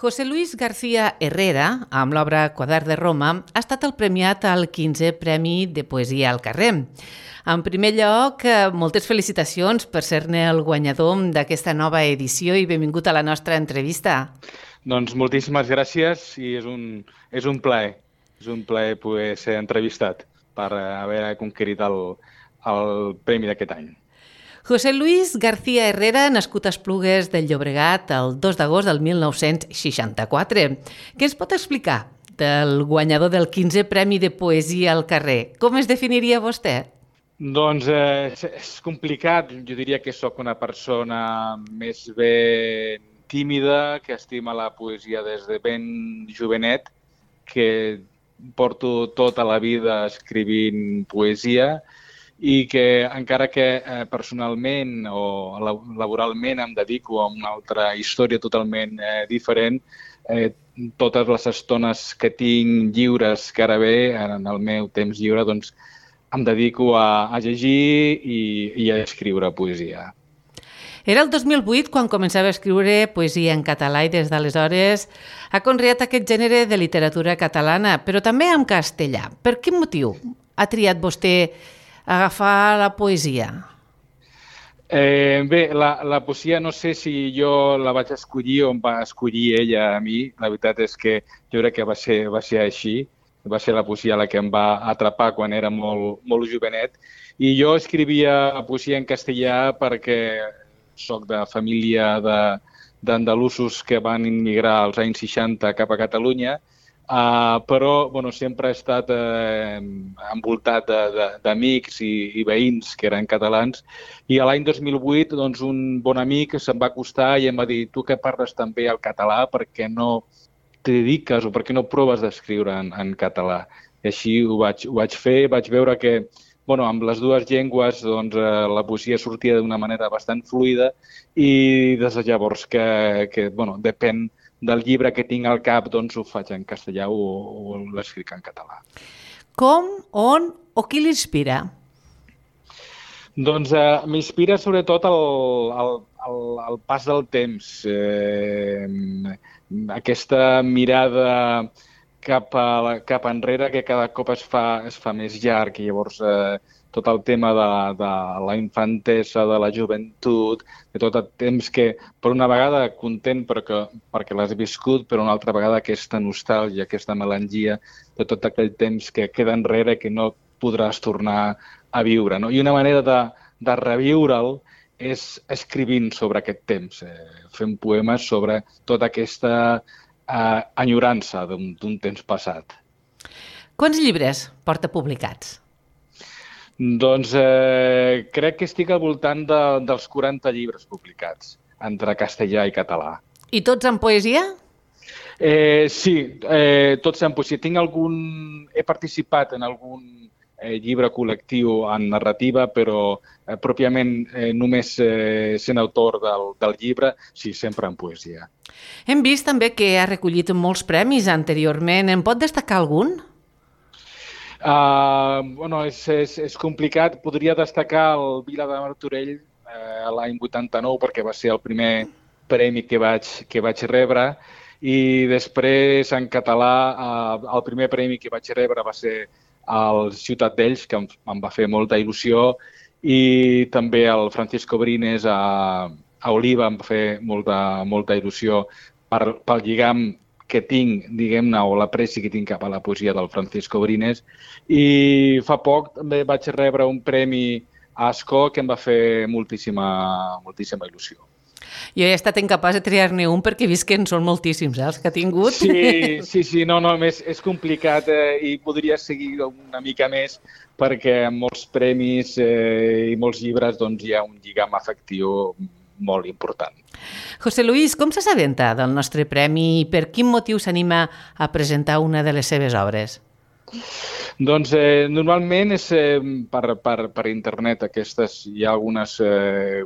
José Luis García Herrera, amb l'obra Quadern de Roma, ha estat el premiat al 15è Premi de Poesia al Carrer. En primer lloc, moltes felicitacions per ser-ne el guanyador d'aquesta nova edició i benvingut a la nostra entrevista. Doncs moltíssimes gràcies i és un plaer. És un plaer poder ser entrevistat per haver conquerit el premi d'aquest any. José Luis García Herrera, nascut a Esplugues del Llobregat el 2 d'agost del 1964. Què ens pot explicar del guanyador del 15è Premi de Poesia al Carrer? Com es definiria vostè? Doncs és complicat. Jo diria que sóc una persona més ben tímida, que estima la poesia des de ben jovenet, que porto tota la vida escrivint poesia i que encara que personalment o laboralment em dedico a una altra història totalment diferent, totes les estones que tinc lliures que ara ve, en el meu temps lliure, doncs em dedico a llegir i a escriure poesia. Era el 2008 quan començava a escriure poesia en català i des d'aleshores ha conreat aquest gènere de literatura catalana, però també en castellà. Per quin motiu ha triat vostè agafar la poesia? Bé, la poesia no sé si jo la vaig escollir o em va escollir ella a mi. La veritat és que jo crec que va ser així. Va ser la poesia la que em va atrapar quan era molt jovenet. I jo escrivia poesia en castellà perquè soc de família d'andalusos que van immigrar als anys 60 cap a Catalunya, però sempre he estat envoltat d'amics i veïns que eren catalans, i l'any 2008 un bon amic se'm va acostar i em va dir: tu que parles també el català, per què no te dediques o per què no proves d'escriure en català? I així ho vaig fer, vaig veure que amb les dues llengües la poesia sortia d'una manera bastant fluida, i des de llavors que depèn del llibre que tinc al cap, ho faig en castellà o l'escric en català. Com, on o qui l'inspira? M'inspira sobretot el pas del temps, aquesta mirada cap enrere que cada cop es fa més llarg, i llavors tot el tema de la infantesa, de la joventut, de tot el temps que per una vegada content perquè l'has viscut, però una altra vegada aquesta nostàlgia, aquesta melangia de tot aquell temps que queda enrere, que no podràs tornar a viure, no? I una manera de reviure'l és escrivint sobre aquest temps, fent poemes sobre tota aquesta enyorança d'un temps passat. Quants llibres porta publicats? Crec que estic al voltant dels 40 llibres publicats, entre castellà i català. I tots en poesia? Sí, tots en poesia. He participat en algun llibre col·lectiu en narrativa, però pròpiament només sent autor del llibre, sí, sempre en poesia. Hem vist també que ha recollit molts premis anteriorment. En pot destacar algun? És complicat. Podria destacar el Vila de Martorell l'any 89, perquè va ser el primer premi que vaig rebre, i després en català el primer premi que vaig rebre va ser el Ciutat d'Ells, que em va fer molta il·lusió, i també el Francisco Brines a Oliva em va fer molta il·lusió pel lligam que tinc, diguem-ne, o l'apreci que tinc cap a la poesia del Francisco Brines. I fa poc també vaig rebre un premi a Ascó que em va fer moltíssima il·lusió. Jo he estat incapaç de triar-ne un perquè he vist que en són moltíssims, els que ha tingut. Sí, és complicat i podria seguir una mica més perquè en molts premis i molts llibres hi ha un lligam afectiu molt important. José Luis, com s'assabenta del nostre premi i per quin motiu s'anima a presentar una de les seves obres? Normalment és per internet. Hi ha algunes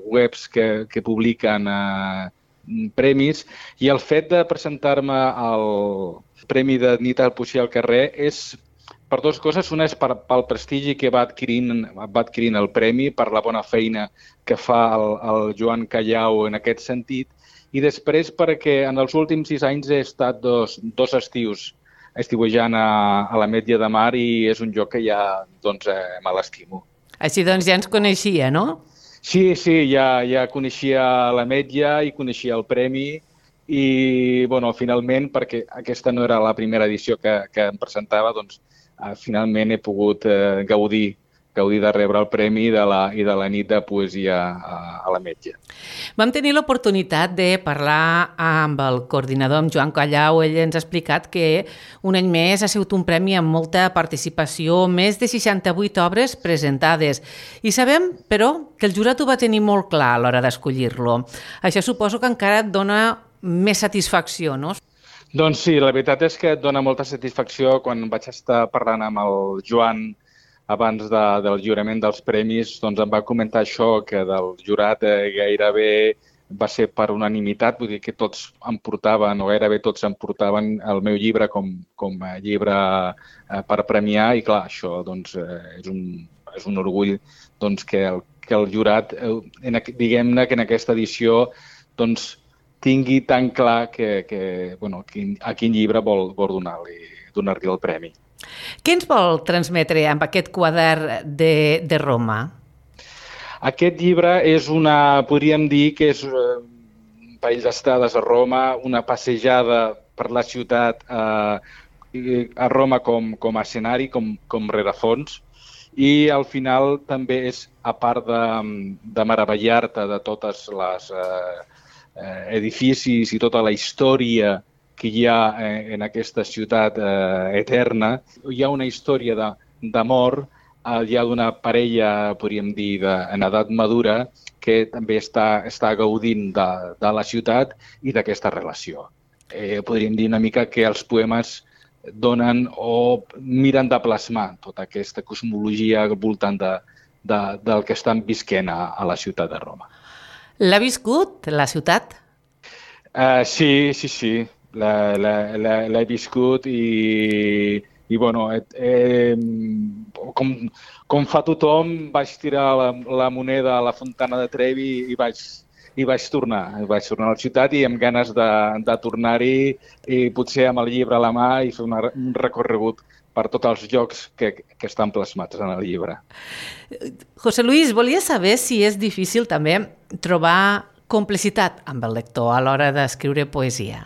webs que publiquen premis, i el fet de presentar-me al Premi de Nit al Poesia al Carrer és per dues coses. Una és pel prestigi que va adquirint el premi, per la bona feina que fa el Joan Callau en aquest sentit, i després perquè en els últims 6 anys he estat dos estius estiuejant a l'Ametlla de Mar i és un lloc que ja me l'estimo. Així doncs ja ens coneixia, no? Sí, ja coneixia l'Ametlla i coneixia el premi i, finalment, perquè aquesta no era la primera edició que em presentava, finalment he pogut gaudir de rebre el premi i de la nit de poesia a l'Ametlla. Vam tenir l'oportunitat de parlar amb el coordinador, amb Joan Callau. Ell ens ha explicat que un any més ha sigut un premi amb molta participació, més de 68 obres presentades. I sabem, però, que el jurat ho va tenir molt clar a l'hora d'escollir-lo. Això suposo que encara et dona més satisfacció, no? Doncs sí, la veritat és que et dona molta satisfacció. Quan vaig estar parlant amb el Joan abans del lliurament dels premis, em va comentar això, que del jurat gairebé va ser per unanimitat, vull dir que tots em portaven, o gairebé tots em portaven el meu llibre com a llibre per premiar, i clar, això és un orgull que el jurat, diguem-ne que en aquesta edició tingui tan clar a quin llibre vol donar-li el premi. Què ens vol transmetre amb aquest quadern de Roma? Aquest llibre és podríem dir que és un parell d'estades a Roma, una passejada per la ciutat a Roma com a escenari, com rerefons, i al final també és, a part de meravellar-te de totes les edificis i tota la història que hi ha en aquesta ciutat eterna, hi ha una història d'amor, hi ha d'una parella, podríem dir, en edat madura, que també està gaudint de la ciutat i d'aquesta relació. Podríem dir una mica que els poemes donen o miren de plasmar tota aquesta cosmologia al voltant del que estan visquent a la ciutat de Roma. L'ha viscut, la ciutat? Sí. L'he viscut i com fa tothom, vaig tirar la moneda a la Fontana de Trevi i vaig tornar. Vaig tornar a la ciutat i amb ganes de tornar-hi i potser amb el llibre a la mà i fer un recorregut per tots els llocs que estan plasmats en el llibre. José Luis, volia saber si és difícil també trobar complicitat amb el lector a l'hora d'escriure poesia.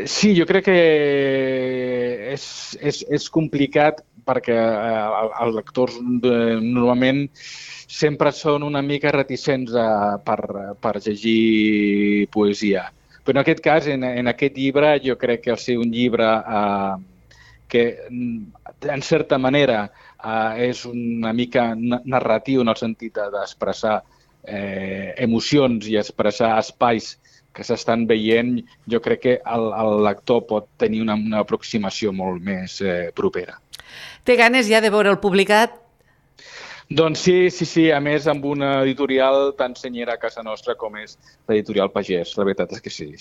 Sí, jo crec que és complicat perquè els lectors normalment sempre són una mica reticents per llegir poesia. Però en aquest cas, en aquest llibre, jo crec que al ser un llibre que, en certa manera, és una mica narratiu en el sentit d'expressar emocions i expressar espais que s'estan veient, jo crec que el lector pot tenir una aproximació molt més propera. Té ganes ja de veure el publicat? Doncs sí. A més, amb una editorial tan senyera a casa nostra com és l'editorial Pagès. La veritat és que sí.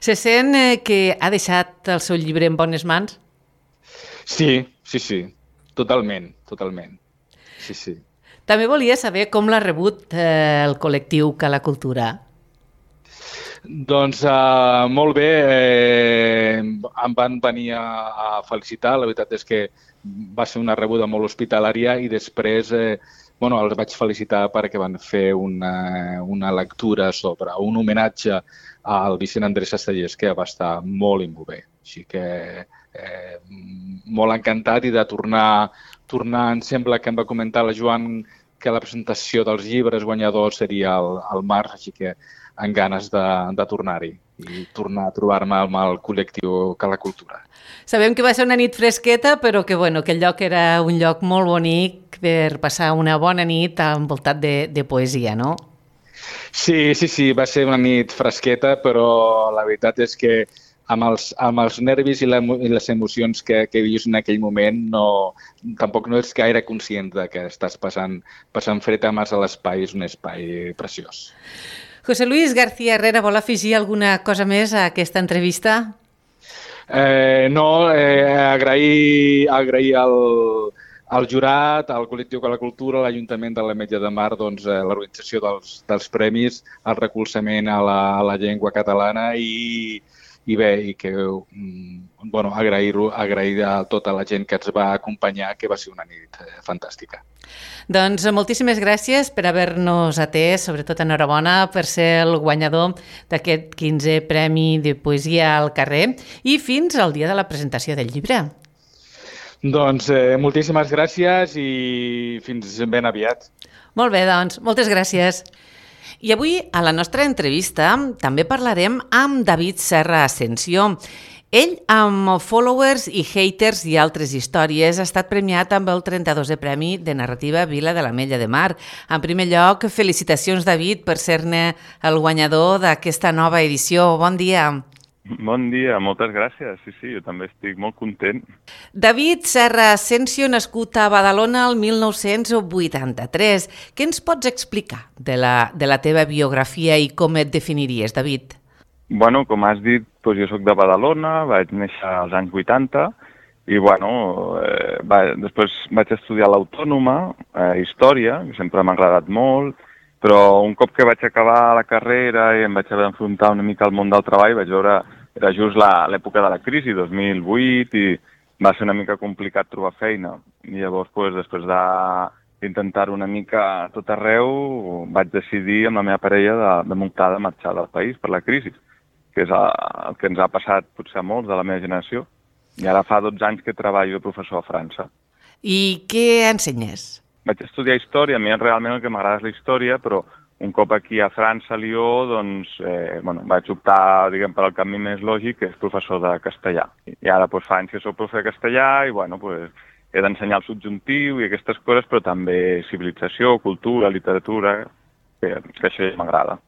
Se sent que ha deixat el seu llibre en bones mans? Sí. Totalment. Sí. També volia saber com l'ha rebut el col·lectiu Cala Cultura. Doncs molt bé, em van venir a felicitar, la veritat és que va ser una rebuda molt hospitalària i després els vaig felicitar perquè van fer una lectura sobre un homenatge al Vicent Andrés Castellers que va estar molt i molt bé. Així que molt encantat i de tornar, em sembla que em va comentar la Joan que la presentació dels llibres guanyadors seria al març, així que amb ganes de tornar-hi i tornar a trobar-me amb el col·lectiu Cala Cultura. Sabem que va ser una nit fresqueta, però que el lloc era un lloc molt bonic per passar una bona nit envoltat de poesia, no? Sí, va ser una nit fresqueta, però la veritat és que amb els nervis i les emocions que vius en aquell moment tampoc no ets gaire conscient que estàs passant fred a mas a l'espai, és un espai preciós. José Luis García Herrera, vol afegir alguna cosa més a aquesta entrevista? No, agrair el jurat, el col·lectiu de la cultura, l'Ajuntament de l'Ametlla de Mar, doncs, l'organització dels premis, el recolzament a la llengua catalana i bé, i que, bueno, agrair a tota la gent que ens va acompanyar, que va ser una nit fantàstica. Doncs moltíssimes gràcies per haver-nos atès, sobretot enhorabona per ser el guanyador d'aquest 15è Premi de Poesia al Carrer i fins al dia de la presentació del llibre. Doncs moltíssimes gràcies i fins ben aviat. Molt bé, doncs, moltes gràcies. I avui, a la nostra entrevista, també parlarem amb David Serra Asensio. Ell, amb Followers i Haters i altres històries, ha estat premiat amb el 32è Premi de Narrativa Vila de l'Ametlla de Mar. En primer lloc, felicitacions, David, per ser-ne el guanyador d'aquesta nova edició. Bon dia. Bon dia, moltes gràcies. Sí, jo també estic molt content. David Serra Asensio, nascut a Badalona el 1983. Què ens pots explicar de la teva biografia i com et definiries, David? Bueno, com has dit, doncs jo soc de Badalona, vaig néixer als anys 80 i després vaig estudiar a l'Autònoma, Història, que sempre m'ha agradat molt, però un cop que vaig acabar la carrera i em vaig haver d'enfrontar una mica al món del treball, vaig veure, era just l'època de la crisi, 2008, i va ser una mica complicat trobar feina. I llavors, després d'intentar-ho una mica a tot arreu, vaig decidir amb la meva parella de muntar, de marxar del país per la crisi, que és el que ens ha passat potser a molts de la meva generació. I ara fa 12 anys que treballo de professor a França. I què ensenyes? Vaig estudiar història, a mi realment el que m'agrada és la història, però un cop aquí a França, a Lió, doncs, vaig optar, per el camí més lògic, que és professor de castellà. I ara fa anys que soc professor de castellà i, he d'ensenyar el subjuntiu i aquestes coses, però també civilització, cultura, literatura, que això ja m'agrada.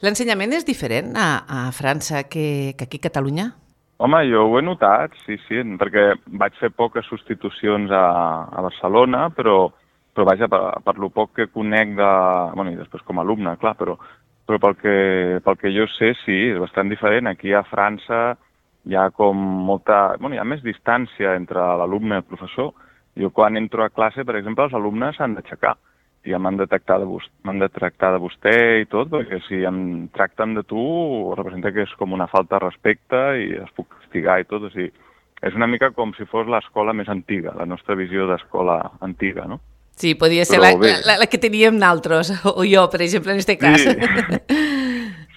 L'ensenyament és diferent a França que aquí a Catalunya? Home, jo ho he notat, sí, perquè vaig fer poques substitucions a Barcelona, però vaja, per lo poc que conec i després com a alumne, clar, però pel que jo sé, sí, és bastant diferent. Aquí a França hi ha com hi ha més distància entre l'alumne i el professor. Jo quan entro a classe, per exemple, els alumnes s'han d'aixecar. I m'han de tractar de vostè i tot, perquè si em tracten de tu, representa que és com una falta de respecte i es puc castigar i tot. O sigui, és una mica com si fos l'escola més antiga, la nostra visió d'escola antiga, no? Sí, podria ser la que teníem nosaltres, o jo, per exemple, en aquest cas.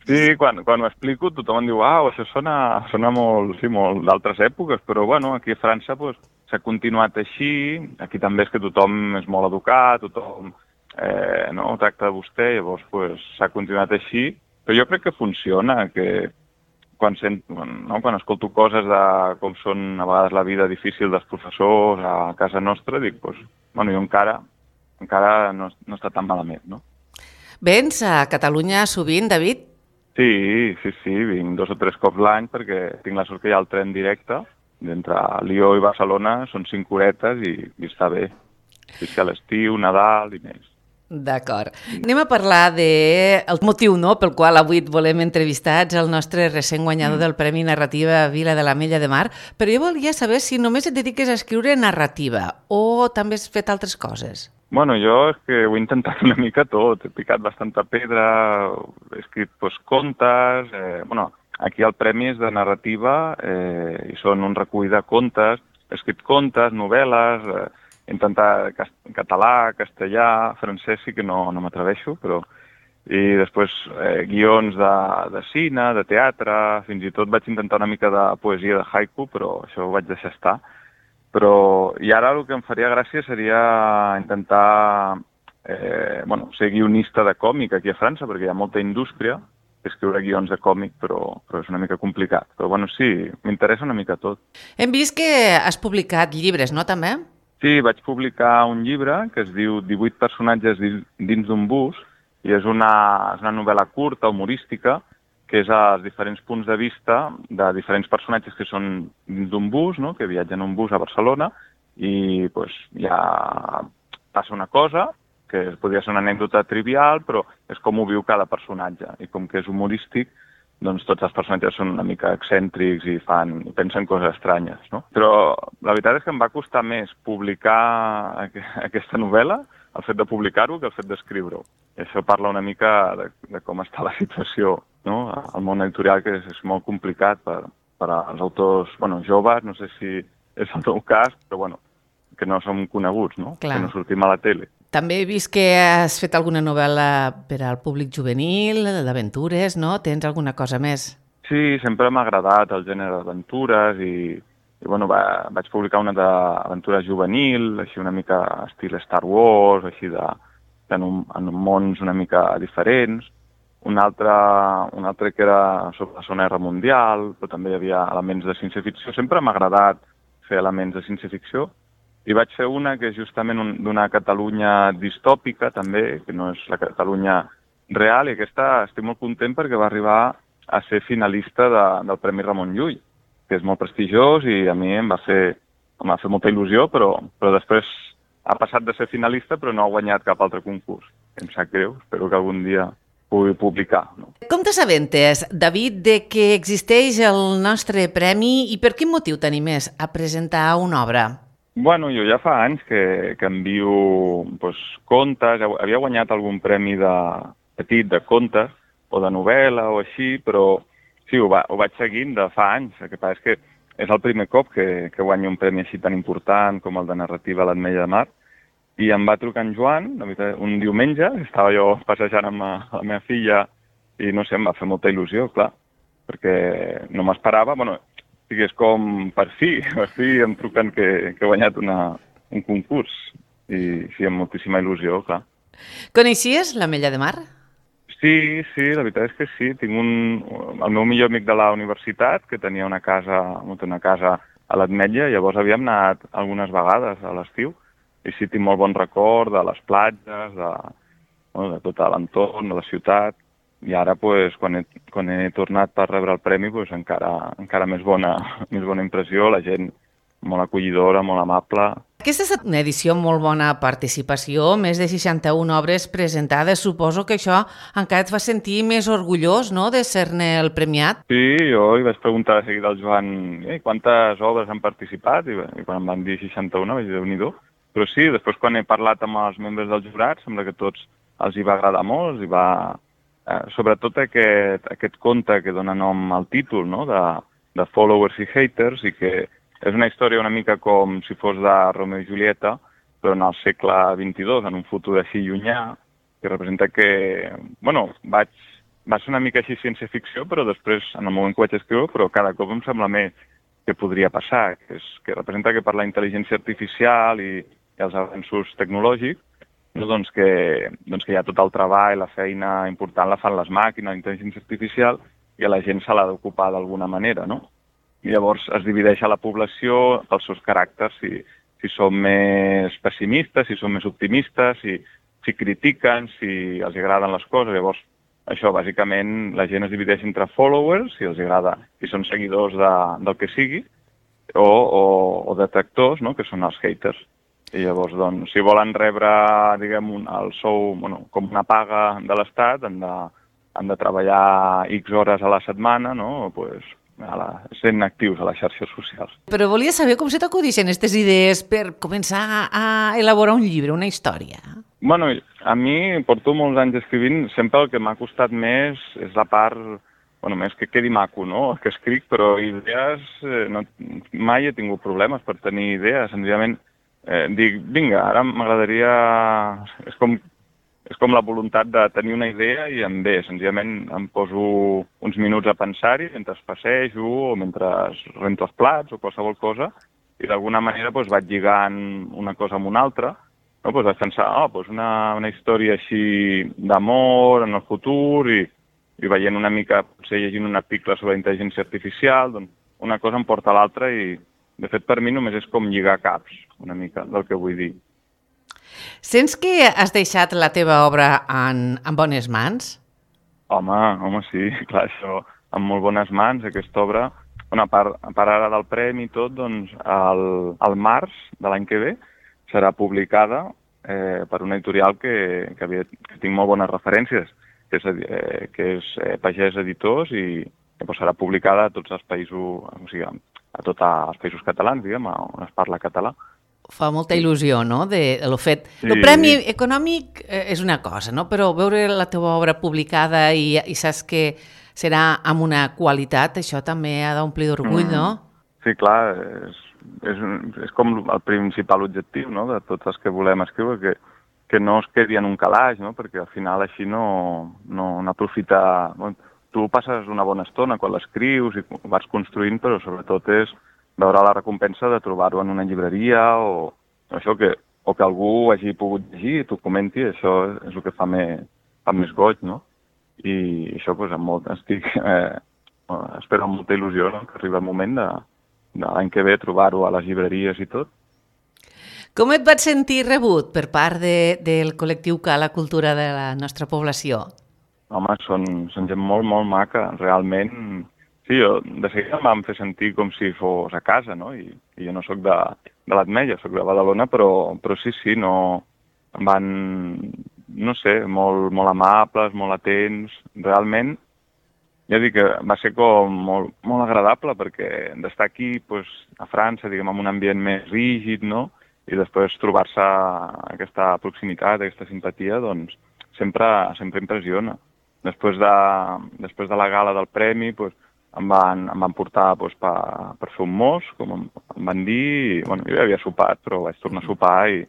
Sí, quan ho explico tothom em diu això sona molt d'altres èpoques, però aquí a França s'ha continuat així, aquí també és que tothom és molt educat, tothom tracta de vostè, llavors s'ha continuat així, però jo crec que funciona, que quan escolto coses de com són a vegades la vida difícil dels professors a casa nostra, dic, jo encara no està tan malament, no? Vens a Catalunya sovint, David? Sí, vinc 2 o 3 cops l'any perquè tinc la sort que hi ha el tren directe d'entre Lió i Barcelona, són 5 horetes i està bé. Sí, a l'estiu, Nadal i més. D'acord. Anem a parlar del motiu pel qual avui et volem entrevistar. Ets el nostre recent guanyador del Premi Narrativa Vila de l'Ametlla de Mar, però jo volia saber si només et dediques a escriure narrativa o també has fet altres coses. Jo és que ho he intentat una mica tot. He picat bastanta pedra, he escrit contes... Aquí el premi és de narrativa i són un recull de contes. He escrit contes, novel·les... He intentat català, castellà, francès sí que no m'atreveixo, però... I després guions de cine, de teatre, fins i tot vaig intentar una mica de poesia de haiku, però això ho vaig deixar estar. I ara el que em faria gràcia seria intentar ser guionista de còmic aquí a França, perquè hi ha molta indústria d'escriure guions de còmic, però és una mica complicat. Però sí, m'interessa una mica tot. Hem vist que has publicat llibres, no, també? Sí, vaig publicar un llibre que es diu 18 personatges dins d'un bus i és una novel·la curta, humorística, que és els diferents punts de vista de diferents personatges que són dins d'un bus, no? Que viatgen en un bus a Barcelona i ja passa una cosa que podria ser una anècdota trivial, però és com ho viu cada personatge. I com que és humorístic, doncs tots els personatges són una mica excèntrics i pensen coses estranyes, no? Però la veritat és que em va costar més publicar aquesta novel·la, el fet de publicar-ho, que el fet d'escriure-ho. I això parla una mica de com està la situació, no? El món editorial, que és molt complicat per als autors joves, no sé si és el teu cas, però que no som coneguts, no? Clar. Que no sortim a la tele. També he vist que has fet alguna novel·la per al públic juvenil, d'aventures, no? Tens alguna cosa més? Sí, sempre m'ha agradat el gènere d'aventures i vaig publicar una d'aventura juvenil, així una mica estil Star Wars, així en mons una mica diferents. Un altre que era sobre la Segona Guerra Mundial, però també hi havia elements de ciència-ficció. Sempre m'ha agradat fer elements de ciència-ficció. I vaig fer una que és justament d'una Catalunya distòpica, també, que no és la Catalunya real, i aquesta estic molt content perquè va arribar a ser finalista del Premi Ramon Llull, que és molt prestigiós i a mi em va fer molta il·lusió, però després ha passat de ser finalista però no ha guanyat cap altre concurs. Em sap greu, espero que algun dia pugui publicar. No? Com t'assabentes, David, de que existeix el nostre premi i per quin motiu t'animes a presentar una obra? Bueno, jo ja fa anys que envio contes, havia guanyat algun premi petit de contes o de novel·la o així, però sí, ho vaig seguint de fa anys. El que passa és que és el primer cop que guanyo un premi així tan important com el de narrativa a l'Ametlla de Mar, i em va trucar en Joan, un diumenge, estava jo passejant amb la meva filla i no sé, em va fer molta il·lusió, clar, perquè no m'esperava, és com per fi em truquen que he guanyat un concurs i sí, amb moltíssima il·lusió, clar. Coneixies l'Ametlla de Mar? Sí, la veritat és que sí. Tinc el meu millor amic de la universitat, que tenia una casa a l'Ametlla, llavors havíem anat algunes vegades a l'estiu, i sí, tinc molt bon record de les platges, de tot l'entorn, de la ciutat, i ara, quan he tornat per rebre el premi, encara més bona impressió, la gent molt acollidora, molt amable. Aquesta ha estat una edició amb molt bona participació, més de 61 obres presentades. Suposo que això encara et fa sentir més orgullós, no?, de ser-ne el premiat. Sí, jo hi vaig preguntar de seguida al Joan quantes obres han participat, i quan em van dir 61 vaig dir Déu-n'hi-do. Però sí, després quan he parlat amb els membres del jurat, sembla que a tots els hi va agradar molt, sobretot aquest conte que dona nom al títol, no?, de Followers i Haters, i que és una història una mica com si fos de Romeo i Julieta, però en el segle XXII, en un futur així llunyà, que representa que, va ser una mica així ciència-ficció, però després, en el moment que vaig escriure, però cada cop em sembla més que podria passar, que representa que per la intel·ligència artificial i els avenços tecnològics, que hi ha tot el treball, la feina important la fan les màquines, la intel·ligència artificial, i a la gent se l'ha d'ocupar d'alguna manera, no? I llavors es divideix a la població pels seus caràcters, si són més pessimistes, si són més optimistes, si critiquen, si els agraden les coses. Llavors, això, bàsicament, la gent es divideix entre followers, si els agrada, si són seguidors del que sigui, o detractors, no?, que són els haters. I llavors, si volen rebre, diguem, el sou, com una paga de l'Estat, han de treballar X hores a la setmana, no?, sent actius a les xarxes socials. Però volia saber com se t'acudixen aquestes idees per començar a elaborar un llibre, una història. A mi porto molts anys escrivint, sempre el que m'ha costat més és la part, més que quedi maco, no?, que escric, però idees, mai he tingut problemes per tenir idees, senzillament dic, vinga, ara m'agradaria... És com la voluntat de tenir una idea i em ve. Senzillament em poso uns minuts a pensar-hi mentre passejo o mentre rento els plats o qualsevol cosa, i d'alguna manera vaig lligant una cosa amb una altra. Vaig pensar, una història així d'amor en el futur i veient una mica, potser llegint un article sobre intel·ligència artificial, una cosa em porta a l'altra i, de fet, per mi només és com lligar caps, una mica, del que vull dir. Sents que has deixat la teva obra en bones mans? Home, sí, clar, això, en molt bones mans, aquesta obra. A part ara del premi i tot, al març de l'any que ve serà publicada per una editorial que tinc molt bones referències. que és Pagès Editors i doncs serà publicada a tots els països, o sigui, a tots els països catalans, diguem, on es parla català. Fa molta il·lusió, no?, de lo fet. Sí. El premi econòmic és una cosa, no?, però veure la teva obra publicada i saps que serà amb una qualitat, això també ha d'omplir d'orgull, no? Sí, clar, és com el principal objectiu, no?, de tots els que volem escriure, que no es quedi en un calaix, no?, perquè al final així no aprofita... Tu passes una bona estona quan l'escrius i ho vas construint, però sobretot és veure la recompensa de trobar-ho en una llibreria o que algú hagi pogut llegir i t'ho comenti, això és el que fa més goig, no? I això, espero amb molta il·lusió, no?, que arribi el moment de l'any que ve trobar-ho a les llibreries i tot. Com et vaig sentir rebut per part del col·lectiu Cala Cultura de la nostra població? Home, són gent molt, molt maca, realment. Sí, de seguida em van fer sentir com si fos a casa, no? I jo no sóc de l'Ametlla, sóc de Badalona, però sí, no... Em van, no sé, molt, molt amables, molt atents. Realment, ja dic que va ser com molt, molt agradable, perquè d'estar aquí a França, diguem, en un ambient més rígid, no?, i després trobar-se aquesta proximitat, aquesta simpatia, doncs sempre impressiona. Després de la gala del premi, em van portar per fer un mos, com em van dir. Jo ja havia sopat, però vaig tornar a sopar i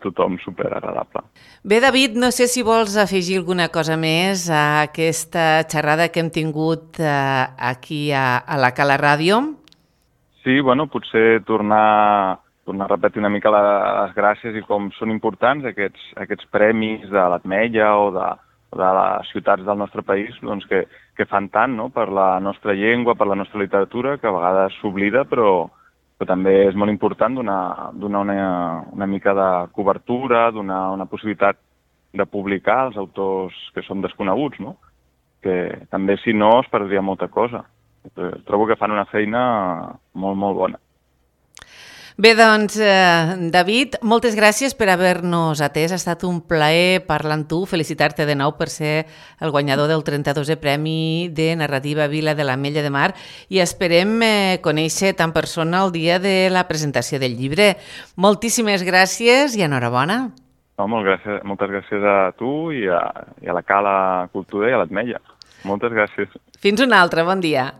tothom superagradable. Bé, David, no sé si vols afegir alguna cosa més a aquesta xerrada que hem tingut aquí a la Cala Ràdio. Sí, potser tornar a repetir una mica les gràcies i com són importants aquests premis de l'Ametlla o de les ciutats del nostre país, doncs que fan tant, no?, per la nostra llengua, per la nostra literatura, que a vegades s'oblida, però també és molt important donar una mica de cobertura, donar una possibilitat de publicar els autors que són desconeguts, no?, que també, si no, es perdria molta cosa. Trobo que fan una feina molt, molt bona. Bé, doncs, David, moltes gràcies per haver-nos atès. Ha estat un plaer parlar amb tu, felicitar-te de nou per ser el guanyador del 32è Premi de Narrativa Vila de l'Ametlla de Mar i esperem conèixer-te en persona el dia de la presentació del llibre. Moltíssimes gràcies i enhorabona. Moltes gràcies a tu i a la Cala Cultura i a l'Ametlla. Moltes gràcies. Fins una altra, bon dia.